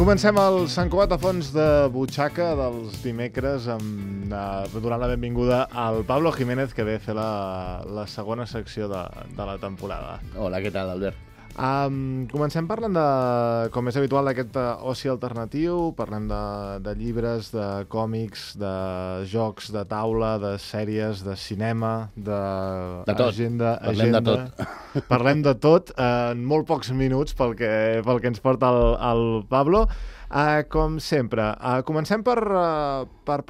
Comencem el Sant Cugat a fons de butxaca dels dimecres donant la benvinguda al Pablo Jiménez, que ve a fer la segona secció de la temporada. Hola, què tal, Albert? Comencem parlant com és habitual, d'aquest oci alternatiu. Parlem de llibres, de còmics, de jocs de taula, de sèries, de cinema, d'agenda. Parlem de tot. Parlem de tot en molt pocs minuts pel que ens porta el Pablo. Com sempre, comencem per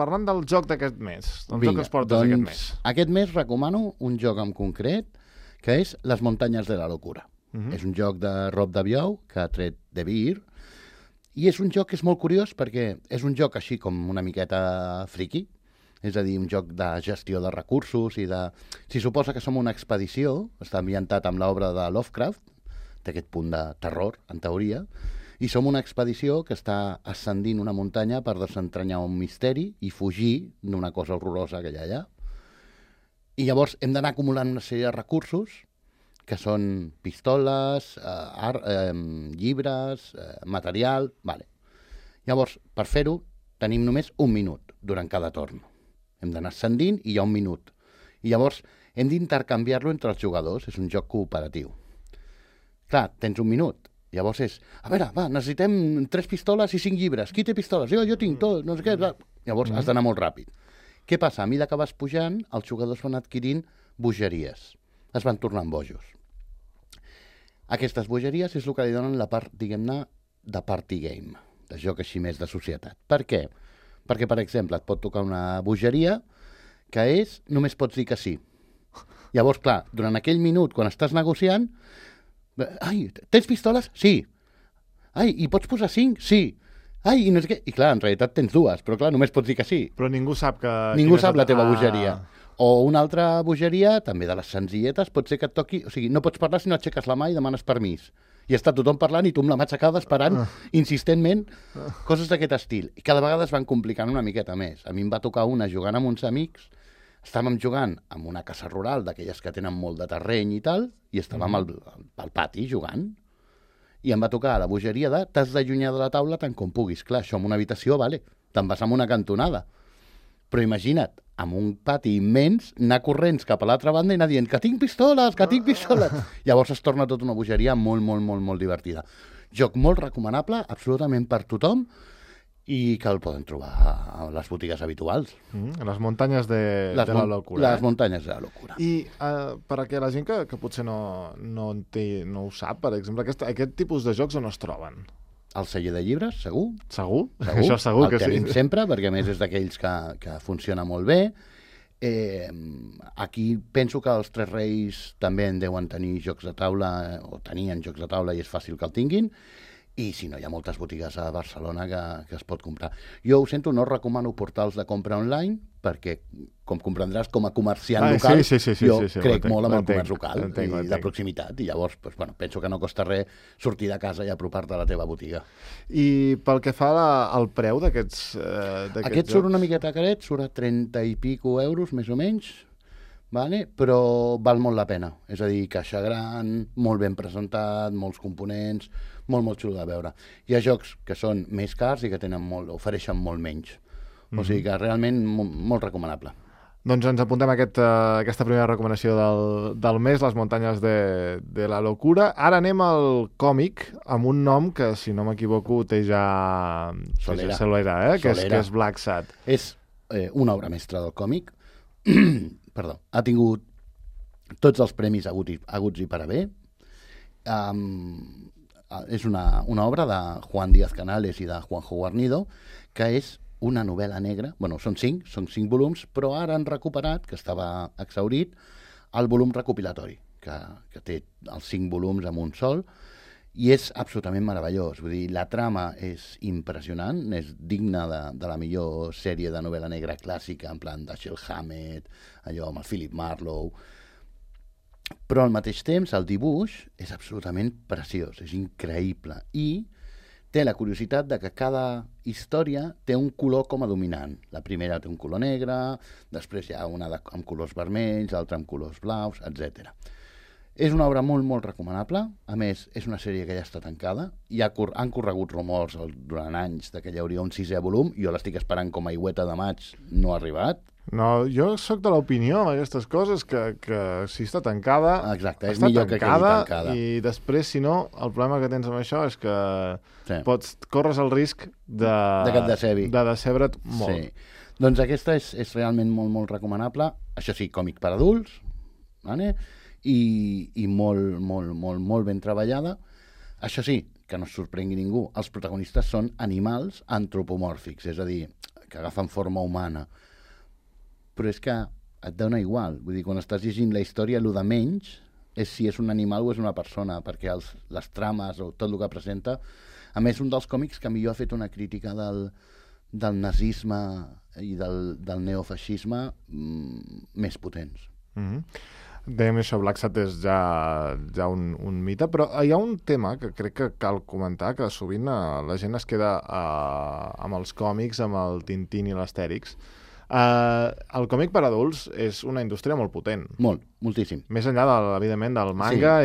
parlant del joc d'aquest mes. Joc que ens portes aquest mes. Aquest mes recomano un joc en concret, que és Les muntanyes de la locura. És un joc de Rob Daviau, que ha tret de Beer, i és un joc que és molt curiós perquè és un joc així com una miqueta friki, és a dir, un joc de gestió de recursos i de... Si suposa que som una expedició, està ambientat amb l'obra de Lovecraft, té aquest punt de terror, en teoria, i som una expedició que està ascendint una muntanya per desentranyar un misteri i fugir d'una cosa horrorosa que hi ha allà. I llavors hem d'anar acumulant una sèrie de recursos que són pistoles, llibres, material... Vale. Llavors, per fer-ho, tenim només un minut durant cada torn. Hem d'anar ascendint i hi ha un minut. I llavors hem d'intercanviar-lo entre els jugadors. És un joc cooperatiu. Clar, tens un minut. Llavors és, a veure, va, necessitem 3 pistoles i 5 llibres. Qui té pistoles? Jo tinc tot, no sé què. Llavors has d'anar molt ràpid. Què passa? A mesura que vas pujant, els jugadors van adquirint bogeries. Es van tornant bojos. Aquestes bogeries és el que li donen la part, diguem-ne, de party game, de joc així més de societat. Per què? Perquè, per exemple, et pot tocar una bogeria que és, només pots dir que sí. Llavors, clar, durant aquell minut, quan estàs negociant, ai, tens pistoles? Sí. Ai, i pots posar 5? Sí. Ai, i no sé què. I clar, en realitat tens 2, però clar, només pots dir que sí. Però ningú sap que... Ningú sap la teva bogeria. O una altra bogeria, també de les senzilletes, pot ser que et toqui... O sigui, no pots parlar si no aixeques la mà i demanes permís. I està tothom parlant i tu amb la mà aixecada esperant insistentment coses d'aquest estil. I cada vegada es van complicant una miqueta més. A mi em va tocar una jugant amb uns amics, estàvem jugant en una casa rural, d'aquelles que tenen molt de terreny i tal, i estàvem al pati jugant. I em va tocar la bogeria de t'has d'allunyar de la taula tant com puguis. Clar, això en una habitació, vale, te'n vas amb una cantonada. Però imagina't, amb un pati immens, anar corrents cap a l'altra banda i anar dient que tinc pistoles, que tinc pistoles. Llavors es torna tota una bogeria molt, molt, molt, molt divertida. Joc molt recomanable, absolutament per tothom, i que el poden trobar a les botigues habituals. Les muntanyes de la locura. Les muntanyes de la locura. I perquè la gent que potser no ho sap, per exemple, aquest tipus de jocs on es troben? El celler de llibres, segur. Segur? Això segur que sí. El tenim sempre, perquè a més és d'aquells que funciona molt bé. Aquí penso que els Tres Reis també en deuen tenir jocs de taula, o tenien jocs de taula i és fàcil que el tinguin. I si no, hi ha moltes botigues a Barcelona que es pot comprar. Jo ho sento, no recomano portals de compra online, perquè, com comprendràs, com a comerciant local, jo crec molt en el comerç local i de proximitat. I llavors, penso que no costa res sortir de casa i apropar-te a la teva botiga. I pel que fa al preu d'aquests Aquest surt una miqueta caret, surt a 30 i pico euros, més o menys, vale? Però val molt la pena. És a dir, caixa gran, molt ben presentat, molts components, molt, molt xulo de veure. Hi ha jocs que són més cars i que ofereixen molt menys. O sigui que realment molt recomanable. Doncs ens apuntem a aquesta primera recomanació del mes, Les muntanyes de la locura. Ara anem al còmic, amb un nom que, si no m'equivoco, té ja Solera, que és Black Sad. És una obra mestra del còmic. Perdó. Ha tingut tots els premis haguts i per haver. És una obra de Juan Díaz Canales i de Juanjo Guarnido, que és una novel·la negra. Són 5 volums, però ara han recuperat, que estava exhaurit, el volum recopilatori, que té els 5 volums en un sol, i és absolutament meravellós. Vull dir, la trama és impressionant, és digna de la millor sèrie de novel·la negra clàssica, en plan Dashiell Hammett, allò amb el Philip Marlowe. Però al mateix temps el dibuix és absolutament preciós, és increïble, i té la curiositat de que cada història té un color com a dominant. La primera té un color negre, després hi ha una amb colors vermells, l'altra amb colors blaus, etc. És una obra molt, molt recomanable. A més, és una sèrie que ja està tancada. Han corregut rumors durant anys que hi hauria un 6è volum. Jo l'estic esperant com a aigüeta de maig. No ha arribat. No, jo sóc de l'opinió amb aquestes coses que si està tancada, exacte, és està millor tancada, que quedi tancada. I després, si no, el problema que tens amb això és que corres el risc de decebre't molt. Sí. Doncs aquesta és realment molt, molt recomanable. Això sí, còmic per adults, vale? I molt, molt, molt, molt ben treballada. Això sí, que no es sorprengui ningú, els protagonistes són animals antropomòrfics, és a dir, que agafen forma humana. Però és que et dona igual. Vull dir, quan estàs llegint la història, el de menys és si és un animal o és una persona, perquè les trames o tot el que presenta... A més, un dels còmics que millor ha fet una crítica del nazisme i del neofeixisme més potents. Dèiem això, Black Sat és ja un mite, però hi ha un tema que crec que cal comentar, que sovint la gent es queda amb els còmics, amb el Tintín i l'Astèrix. El còmic per adults és una indústria molt potent. Molt, moltíssim. Més enllà, evidentment, del manga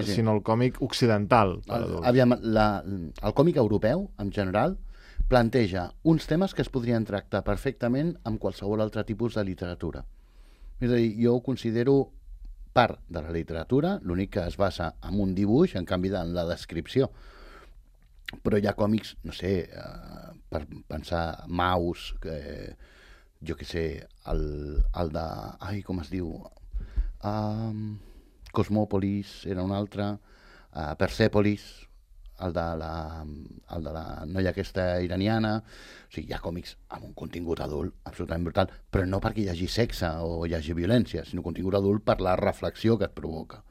sinó el còmic occidental per adults. Aviam, el còmic europeu, en general, planteja uns temes que es podrien tractar perfectament amb qualsevol altre tipus de literatura. És a dir, jo ho considero part de la literatura, l'únic que es basa en un dibuix, en canvi en la descripció. Però hi ha còmics, no sé, per pensar, Maus, jo què sé, el de... Ai, com es diu? Cosmòpolis era un altre, Persèpolis, el de la noia aquesta iraniana. O sigui, hi ha còmics amb un contingut adult absolutament brutal, però no perquè hi hagi sexe o hi hagi violència, sinó contingut adult per la reflexió que et provoca.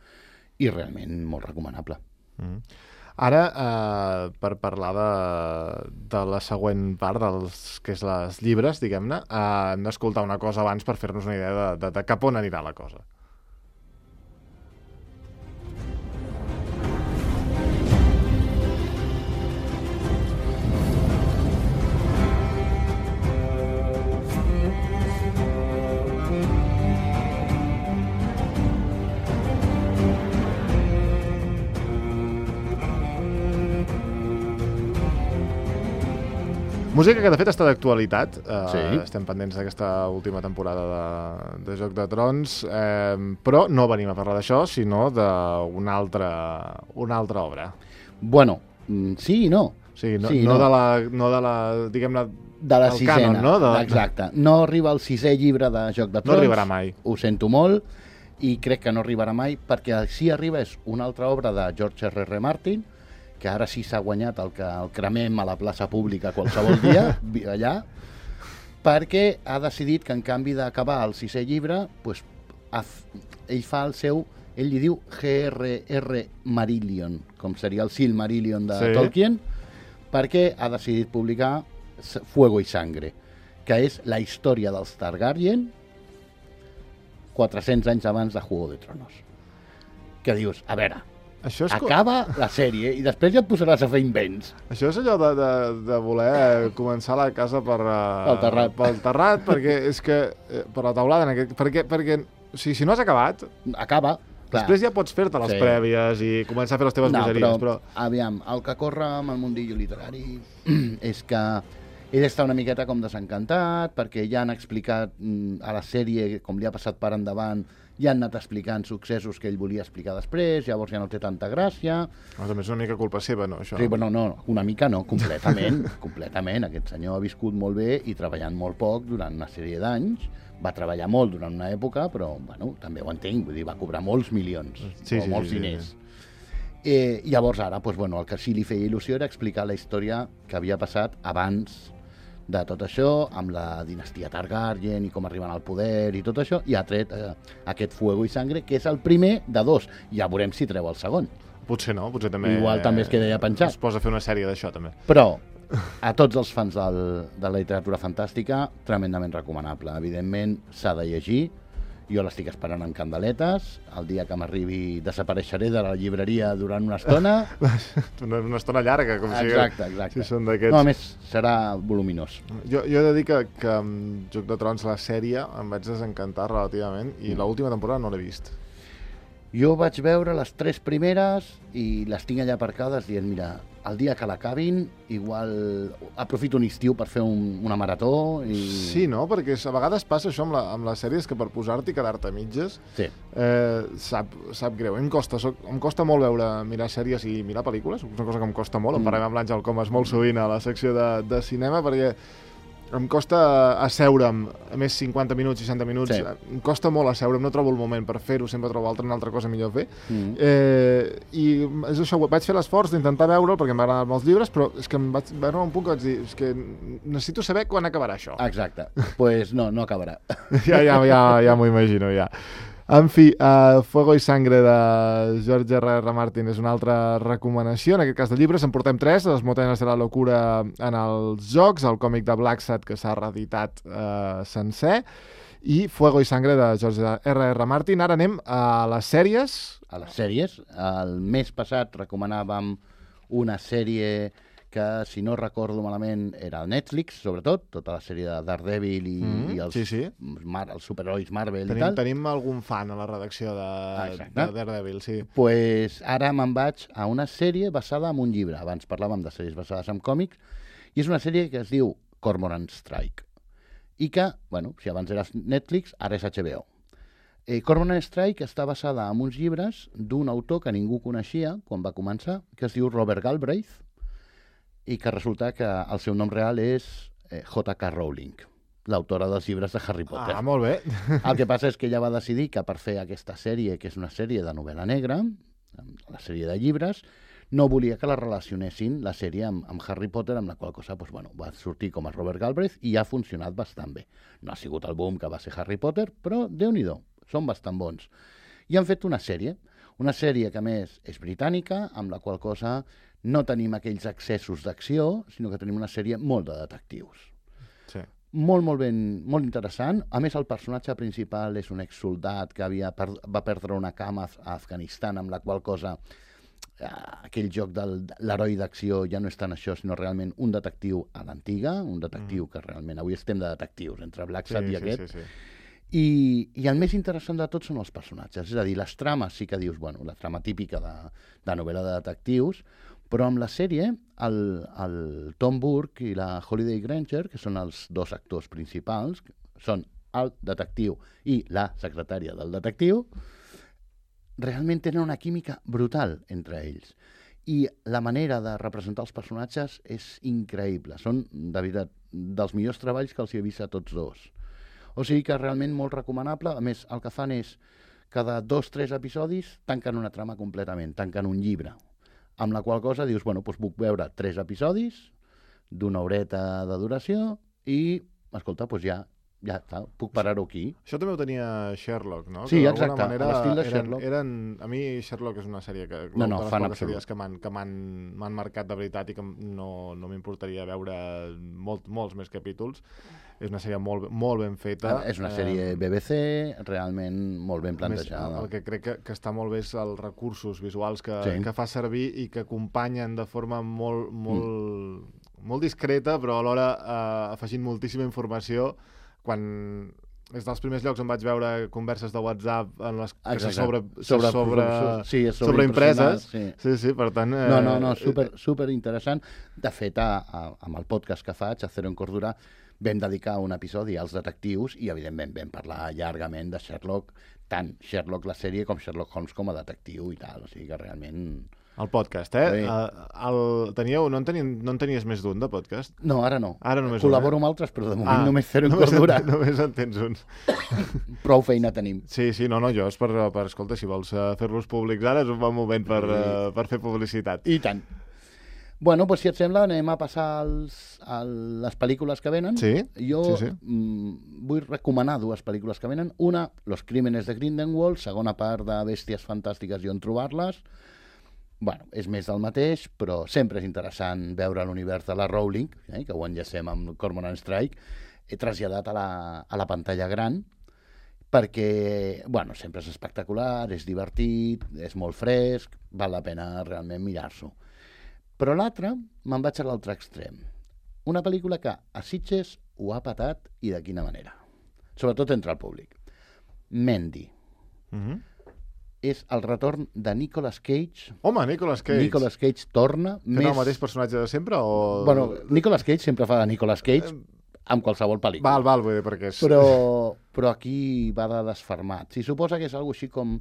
I realment molt recomanable. Ara, per parlar de la següent part, que és les llibres, diguem-ne, hem d'escoltar una cosa abans per fer-nos una idea de cap on anirà la cosa. Música que, de fet, està d'actualitat. Estem pendents d'aquesta última temporada de Joc de Trons, però no venim a parlar d'això, sinó d'una altra obra. Bueno, sí i no. Sí, no de la diguem-ne, de la sisena. Canon, no? Exacte. No arriba el 6è llibre de Joc de Trons. No arribarà mai. Ho sento molt, i crec que no arribarà mai, perquè si arriba és una altra obra de George R.R. Martin, que ara sí s'ha guanyat el que el cremem a la plaça pública qualsevol dia, allà, perquè ha decidit que en canvi d'acabar el 6è llibre, pues, ell fa el seu, ell li diu G.R.R. Marillion, com seria el Silmarillion de Tolkien, perquè ha decidit publicar Fuego y Sangre, que és la història dels Targaryen 400 anys abans de Juego de Tronos. Que dius, a veure, acaba la sèrie i després ja et posaràs a fer invents. Això és allò de voler començar la casa pel terrat, perquè és que per la teulada, perquè si no has acabat, acaba. Clar. Després ja pots fer-te les prèvies i començar a fer les teves bogeries. Però, aviam, el que corre amb el mundillo literari és que ell està una miqueta com desencantat, perquè ja han explicat a la sèrie, com li ha passat per endavant, ja han anat explicant successos que ell volia explicar després, llavors ja no té tanta gràcia. També és una mica culpa seva, no, això? Sí, però no, una mica no, completament. Completament. Aquest senyor ha viscut molt bé i treballant molt poc durant una sèrie d'anys. Va treballar molt durant una època, però bueno, també ho entenc, vull dir, va cobrar molts milions, molts diners. Llavors ara, doncs, bueno, el que sí li feia il·lusió era explicar la història que havia passat abans de tot això, amb la dinastia Targaryen i com arriben al poder i tot això, i ha tret aquest Fuego y Sangre, que és el primer de 2. Ja veurem si treu el segon. Potser no, potser també... Igual també es queda ja penjat. Es posa a fer una sèrie d'això, també. Però, a tots els fans de la literatura fantàstica, tremendament recomanable. Evidentment, s'ha de llegir. Jo l'estic esperant amb candeletes. El dia que m'arribi desapareixeré de la llibreria durant una estona. Una estona llarga, com exacte. Si són d'aquests. No, a més, serà voluminós. Jo he de dir que amb Joc de Trons, la sèrie, em vaig desencantar relativament i l'última temporada no l'he vist. Jo vaig veure les 3 primeres i les tinc allà aparcades dient, mira, el dia que l'acabin, igual aprofito un estiu per fer una marató i... Sí, no? Perquè a vegades passa això amb les sèries, que per posar-t'hi i quedar-te a mitges Sí. sap greu. Em costa molt mirar sèries i mirar pel·lícules, és una cosa que em costa molt. En parlem amb l'Àngel Comas molt sovint a la secció de cinema, perquè em costa asseure'm, a més 50 minuts, 60 minuts, Sí. em costa molt asseure'm, no trobo el moment per fer-ho, sempre trobo una altra cosa millor fer. I és això, vaig fer l'esforç d'intentar veure'l, perquè m'agraden molts llibres, però és que em vaig veure un punt que vaig dir, és que necessito saber quan acabarà això. Exacte. Doncs pues no acabarà. Ja m'ho imagino, ja. En fi, Fuego y Sangre de George R.R. Martin és una altra recomanació, en aquest cas de llibres. En portem 3, Les Montañas de la Locura en els jocs, el còmic de Blacksad, que s'ha reeditat sencer, i Fuego y Sangre de George R.R. Martin. Ara anem a les sèries. A les sèries. El mes passat recomanàvem una sèrie que, si no recordo malament, era el Netflix, sobretot, tota la sèrie de Daredevil i els, sí. els superherois Marvel i tal. Tenim algun fan a la redacció de Daredevil, sí. Pues ara me'n vaig a una sèrie basada en un llibre. Abans parlàvem de sèries basades en còmics, i és una sèrie que es diu Cormoran Strike. I que, bueno, si abans era Netflix, ara és HBO. Cormoran Strike està basada en uns llibres d'un autor que ningú coneixia quan va començar, que es diu Robert Galbraith, i que resulta que el seu nom real és J.K. Rowling, l'autora dels llibres de Harry Potter. Ah, molt bé. El que passa és que ella va decidir que per fer aquesta sèrie, que és una sèrie de novel·la negra, la sèrie de llibres, no volia que la relacionessin la sèrie amb Harry Potter, amb la qual cosa va sortir com a Robert Galbraith i ha funcionat bastant bé. No ha sigut el boom que va ser Harry Potter, però Déu-n'hi-do, són bastant bons. I han fet una sèrie que a més és britànica, amb la qual cosa no tenim aquells excessos d'acció, sinó que tenim una sèrie molt de detectius. Sí. Molt interessant. A més, el personatge principal és un exsoldat que va perdre una cama a Afganistan, amb la qual cosa aquell joc de l'heroi d'acció ja no és tant això, sinó realment un detectiu a l'antiga, un detectiu que realment... Avui estem de detectius, entre Blacksad i aquest. Sí. I el més interessant de tot són els personatges. És a dir, les trames sí que dius, bueno, la trama típica de novel·la de detectius, però amb la sèrie, el Tom Burke i la Holiday Granger, que són els dos actors principals, són el detectiu i la secretària del detectiu, realment tenen una química brutal entre ells. I la manera de representar els personatges és increïble. Són, de veritat, dels millors treballs que els he vist a tots dos. O sigui que realment molt recomanable. A més, el que fan és, cada 2-3 episodis, tanquen una trama completament, tanquen un llibre. Amb la qual cosa dius, bueno, doncs puc veure 3 episodis d'una horeta de duració i, escolta, doncs ja està, puc parar-ho aquí. Això també ho tenia Sherlock, no? Sí, que exacte, manera a l'estil de Sherlock. A mi Sherlock és una sèrie que... No, de les fan poques absolut. sèries que m'han marcat de veritat i que no m'importaria veure molts més capítols. És una sèrie molt ben feta. És una sèrie BBC, realment molt ben plantejada. El que crec que està molt bé és els recursos visuals que fa servir i que acompanyen de forma molt discreta, però alhora afegint moltíssima informació. Quan és dels primers llocs on vaig veure converses de WhatsApp en les que sobre impreses. Sí, per tant... No, super interessant. De fet, amb el podcast que faig, a Cero en Cordura, vam dedicar un episodi als detectius i, evidentment, vam parlar llargament de Sherlock, tant Sherlock la sèrie com Sherlock Holmes com a detectiu i tal. O sigui que realment... El podcast, Sí. No en tenies més d'un, de podcast? No, ara no. Ara només Col·laboro amb altres, però de moment només Cero en Cordura. Només en tens uns. Prou feina tenim. Sí, no, jo és per escolta, si vols fer-los públics ara és un bon moment per fer publicitat. I tant. Bueno, doncs si et sembla, anem a passar a les pel·lícules que venen. Sí, Jo sí. Vull recomanar 2 pel·lícules que venen. Una, Los Crímenes de Grindelwald, segona part de Bèsties Fantàstiques i on trobar-les. Bueno, és més del mateix, però sempre és interessant veure l'univers de la Rowling, que ho enllacem amb Cormoran Strike, traslladat a la pantalla gran, perquè, bueno, sempre és espectacular, és divertit, és molt fresc, val la pena realment mirar-s'ho. Però l'altre, me'n vaig a l'altre extrem. Una pel·lícula que a Sitges ho ha patat i de quina manera. Sobretot entre el públic. Mandy. és el retorn de Nicolas Cage. Home, Nicolas Cage. Nicolas Cage torna. Tenen el mateix personatge de sempre? O... Bueno, Nicolas Cage sempre fa de Nicolas Cage amb qualsevol pel·lícula. Val, vull dir, perquè és... Però aquí va de desfermat. Si suposa que és alguna així com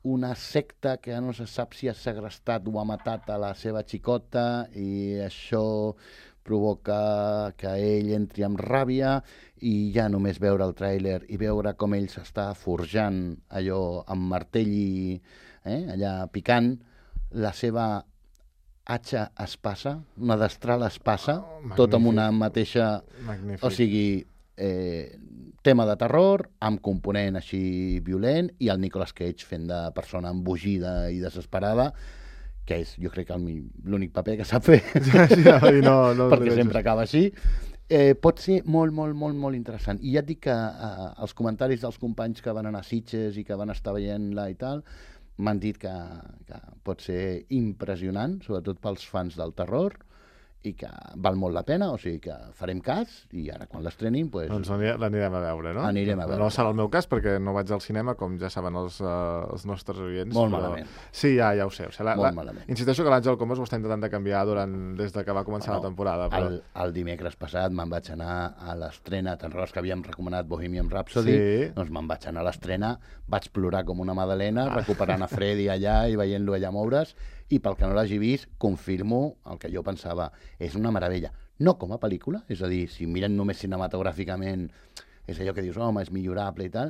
una secta que no se sap si ha segrestat o ha matat a la seva xicota i això provoca que ell entri amb ràbia i ja només veure el tràiler i veure com ell s'està forjant allò amb martell i allà picant la seva atxa espasa, una destral espasa, tot amb una mateixa... Magnífic. O sigui, tema de terror, amb component així violent, i el Nicolas Cage fent de persona embogida i desesperada, que és, jo crec, l'únic paper que sap fer, perquè sempre acaba així. Pot ser molt, molt, molt, molt interessant. I ja et dic que els comentaris dels companys que van anar a Sitges i que van estar veient-la i tal, m'han dit que pot ser impressionant, sobretot pels fans del terror, i que val molt la pena, o sigui que farem cas, i ara quan l'estrenin... Doncs l'anirem a veure, no? Anirem a veure. No serà el meu cas, perquè no vaig al cinema, com ja saben els nostres oients. Molt malament. Sí, ja ho sé. Molt malament. Insisteixo que l'Àngel Comas ho està intentant de canviar des que va començar la temporada. Però... El dimecres passat me'n vaig anar a l'estrena, te'n recordes que havíem recomanat Bohemian Rhapsody? Sí. Doncs me'n vaig anar a l'estrena, vaig plorar com una madalena, recuperant a Freddy allà i veient-lo allà moure's, i pel que no l'hagi vist, confirmo el que jo pensava. És una meravella. No com a pel·lícula, és a dir, si miren només cinematogràficament, és allò que dius, home, és millorable i tal,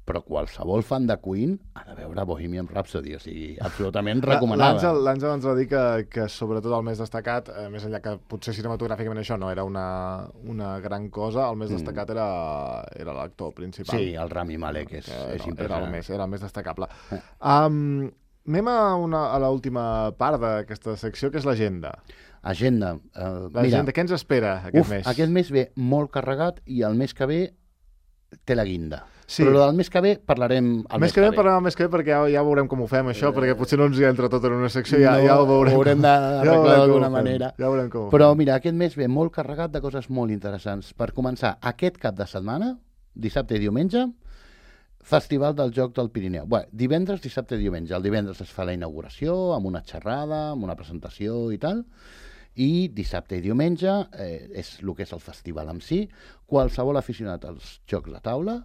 però qualsevol fan de Queen ha de veure Bohemian Rhapsody, o sigui, absolutament recomanada. L'Àngel ens va dir que sobretot el més destacat, més enllà que potser cinematogràficament això no era una gran cosa, el més destacat era l'actor principal. Sí, el Rami Malek és impressionant. Era el més destacable. Anem a l'última part d'aquesta secció, que és l'agenda. Agenda. L'agenda, què ens espera aquest mes? Aquest mes ve molt carregat i el mes que ve té la guinda. Sí. Però del mes que ve parlarem el mes que ve. Parlarem el mes que ve perquè ja veurem com ho fem, això, perquè potser no ens hi entra tot en una secció, ja ho veurem. Ho haurem d'arreglar d'alguna manera. Ja veurem com ho fem. Però mira, aquest mes ve molt carregat de coses molt interessants. Per començar, aquest cap de setmana, dissabte i diumenge, Festival del Joc del Pirineu. Bé, divendres, dissabte i diumenge. El divendres es fa la inauguració, amb una xerrada, amb una presentació i tal, i dissabte i diumenge és el que és el festival en si. Qualsevol aficionat als jocs de taula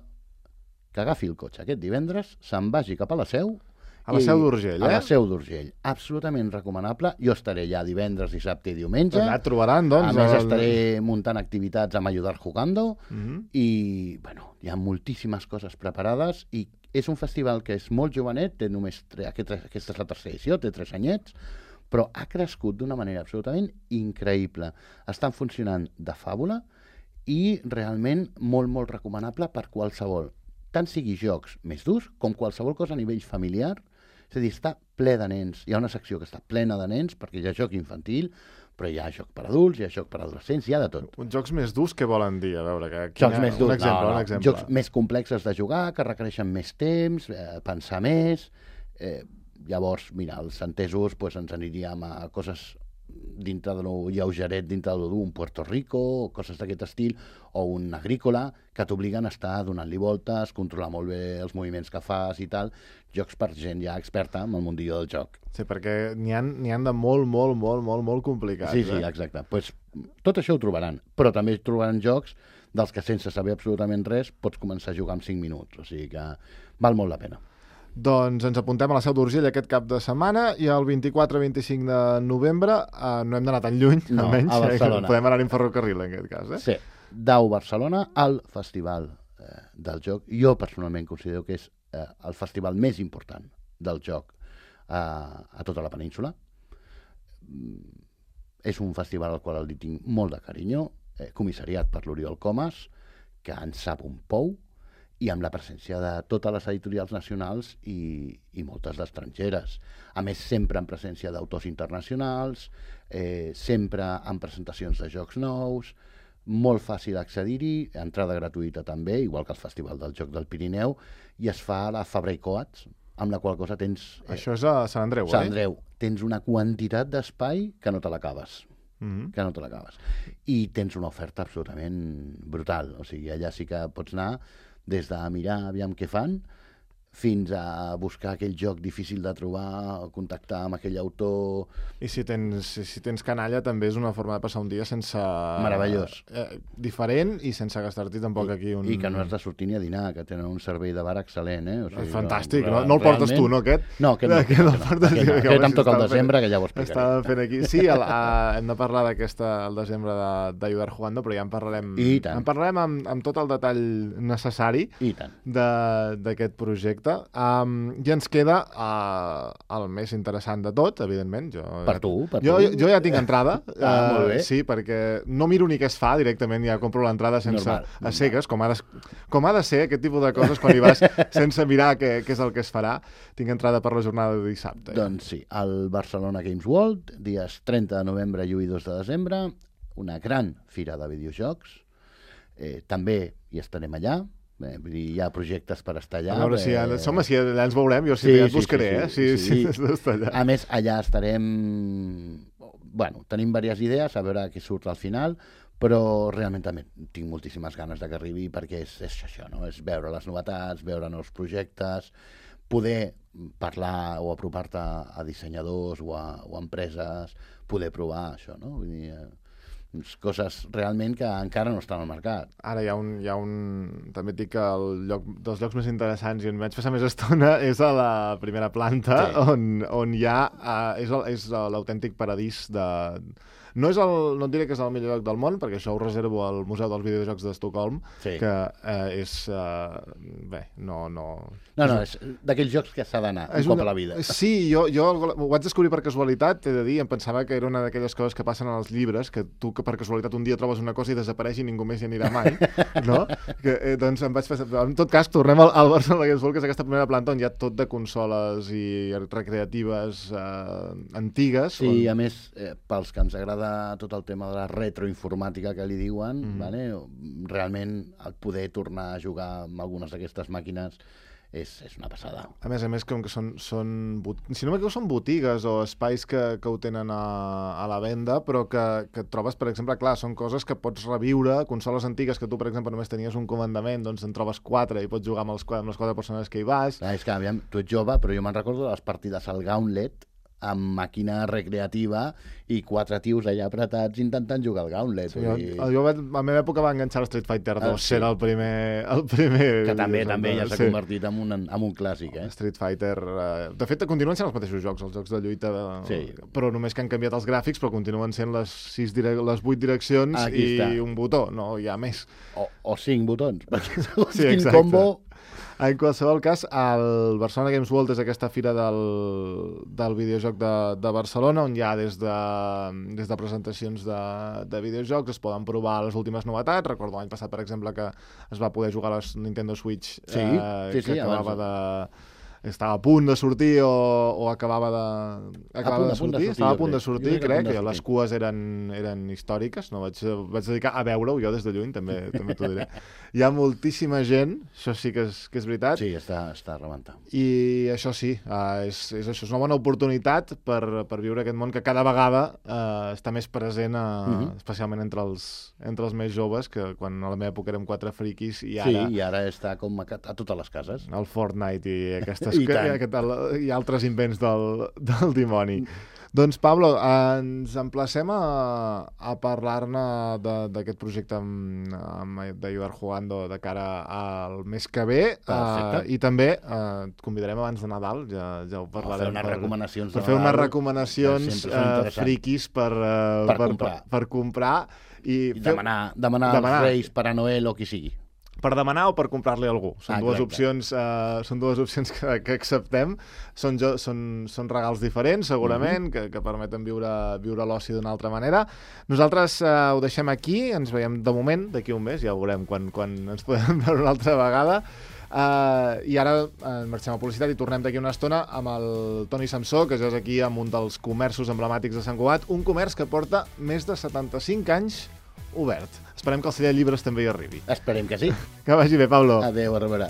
que agafi el cotxe aquest divendres, se'n vagi cap a la Seu. A la Seu d'Urgell, A la Seu d'Urgell. Absolutament recomanable. Jo estaré allà divendres, dissabte i diumenge. Allà et trobaran, doncs. A més, estaré muntant activitats amb Ayudar Jugando. I, bueno, hi ha moltíssimes coses preparades i és un festival que és molt jovenet, té només aquesta és la tercera edició, té 3 anyets, però ha crescut d'una manera absolutament increïble. Estan funcionant de fàbula i realment molt, molt recomanable per qualsevol. Tant sigui jocs més durs com qualsevol cosa a nivell familiar. És a dir, està ple de nens. Hi ha una secció que està plena de nens perquè hi ha joc infantil, però hi ha joc per adults, hi ha joc per adolescents, hi ha de tot. Uns jocs més durs, què volen dir? A veure, jocs més durs, un exemple. Jocs més complexes de jugar, que requereixen més temps, pensar més. Llavors, mira, els entesos ens aniríem a coses dintre de lo lleugeret, dintre de lo dur, un Puerto Rico, coses d'aquest estil, o un agrícola, que t'obliguen a estar donant-li voltes, controlar molt bé els moviments que fas i tal. Jocs per gent ja experta en el mundillo del joc. Sí, perquè n'hi han de molt complicats. Sí, exacte. Pues, tot això ho trobaran, però també trobaran jocs dels que sense saber absolutament res pots començar a jugar en 5 minuts, o sigui que val molt la pena. Doncs ens apuntem a la Seu d'Urgell aquest cap de setmana i el 24-25 de novembre no hem d'anar tan lluny, no, almenys. A Barcelona. Podem anar en ferrocarril, en aquest cas. Sí, Dau Barcelona, al Festival del Joc. Jo personalment considero que és el festival més important del joc a tota la península. És un festival al qual li tinc molt de carinyo, comissariat per l'Oriol Comas, que en sap un pou, i amb la presència de totes les editorials nacionals i moltes d'estrangeres. A més, sempre en presència d'autors internacionals, sempre en presentacions de jocs nous, molt fàcil accedir-hi, entrada gratuïta també, igual que el Festival del Joc del Pirineu, i es fa a la Fabra i Coats, amb la qual cosa tens... Això és a Sant Andreu, Sant Andreu. Tens una quantitat d'espai que no te l'acabes. Que no te l'acabes. I tens una oferta absolutament brutal. O sigui, allà sí que pots anar des de mirar aviam què fan, fins a buscar aquell joc difícil de trobar, contactar amb aquell autor... I si tens canalla també és una forma de passar un dia sense... Meravellós. Diferent i sense gastar-t'hi tampoc aquí un... I que no has de sortir ni a dinar, que tenen un servei de bar excel·lent, O sigui, fantàstic, no el portes tu, no, aquest? No, aquest no. Aquest em toca el desembre, que ja ho explicaré. Estàvem fent aquí. Sí, hem de parlar el desembre d'Ayudar Jugando, però ja en parlarem... I tant. En parlarem amb tot el detall necessari d'aquest projecte. I ens queda el més interessant de tot, evidentment. Per tu. Jo ja tinc entrada. Molt bé. Sí, perquè no miro ni què es fa, directament ja compro l'entrada sense a cegues, com ha de ser aquest tipus de coses quan hi vas sense mirar què és el que es farà. Tinc entrada per la jornada de dissabte. Doncs sí, al Barcelona Games World, dies 30 de novembre i 1 i 2 de desembre, una gran fira de videojocs. També hi estarem allà. Hi ha projectes per estar allà. A veure si allà ens veurem, jo et buscaré, si has d'estar allà. A més, allà estarem... Bueno, tenim diverses idees, a veure què surt al final, però realment també tinc moltíssimes ganes que arribi perquè és això, no? És veure les novetats, veure nous projectes, poder parlar o apropar-te a dissenyadors o a empreses, poder provar això, no? Vull dir, coses realment que encara no estan al mercat. Ara hi ha un... També et dic que dels llocs més interessants i on vaig passar més estona és a la primera planta, on hi ha... És l'autèntic paradís de... No et diré que és el millor lloc del món, perquè això ho reservo al Museu dels Videojocs d'Estocolm, que és... Bé, no... No, és d'aquells jocs que s'ha d'anar un cop a la vida. Sí, jo ho vaig descobrir per casualitat, he de dir, em pensava que era una d'aquelles coses que passen als llibres, que tu per casualitat un dia trobes una cosa i desapareix i ningú més hi anirà mai, no? Doncs em vaig passar... En tot cas, tornem al Barcelona Games World, que és aquesta primera planta on hi ha tot de consoles i recreatives antigues. Sí, a més, pels que ens agrada tot el tema de la retroinformàtica que li diuen, realment el poder tornar a jugar amb algunes d'aquestes màquines és una passada. A més, com que són si no m'equivoco, són botigues o espais que ho tenen a la venda, però que trobes, per exemple, clar, són coses que pots reviure, consoles antigues que tu, per exemple, només tenies un comandament, doncs en trobes 4 i pots jugar amb les 4 persones que hi vas. És que, aviam, tu ets jove, però jo me'n recordo de les partides al Gauntlet, amb màquina recreativa i 4 tios allà apretats intentant jugar al Gauntlet. Sí, a la meva època va enganxar el Street Fighter 2, era el primer... Que també ja s'ha convertit en un clàssic, Street Fighter... De fet, continuen sent els mateixos jocs, els jocs de lluita, però només que han canviat els gràfics, però continuen sent les 8 direccions i un botó, no hi ha més. O 5 botons, perquè quin combo... En qualsevol cas, el Barcelona Games World és aquesta fira del videojoc de Barcelona, on hi ha des de presentacions de videojocs, es poden provar les últimes novetats. Recordo l'any passat, per exemple, que es va poder jugar a la Nintendo Switch, que acabava estava a punt de sortir o acabava de sortir. Estava a punt de sortir, crec, que les cues eren històriques, no vaig dedicar a veure-ho jo des de lluny, també t'ho diré. Hi ha moltíssima gent, això sí que és veritat. Sí, està rebentant. I això sí, és una bona oportunitat per viure aquest món que cada vegada està més present, especialment entre els més joves, que quan a la meva època érem 4 friquis i ara... Sí, i ara està com a totes les cases. El Fortnite i aquestes i altres invents del dimoni. Doncs, Pablo, ens emplacem a parlar-ne d'aquest projecte d'Ayudar Jugando de cara al mes que ve. I també et convidarem abans de Nadal, ja ho parlarem. Per fer unes recomanacions friquis per comprar. I demanar als Reis, Pare Noel o qui sigui. Per demanar o per comprar-li a algú. Són dues opcions que acceptem. Són regals diferents, segurament, que permeten viure l'oci d'una altra manera. Nosaltres ho deixem aquí, ens veiem de moment, d'aquí un mes, ja veurem quan ens podem veure una altra vegada. I ara marxem a publicitat i tornem d'aquí una estona amb el Toni Samsó, que ja és aquí amb un dels comerços emblemàtics de Sant Cugat, un comerç que porta més de 75 anys obert. Esperem que el celler de llibres també hi arribi. Esperem que sí. Que vagi bé, Pablo. Adéu, a reveure.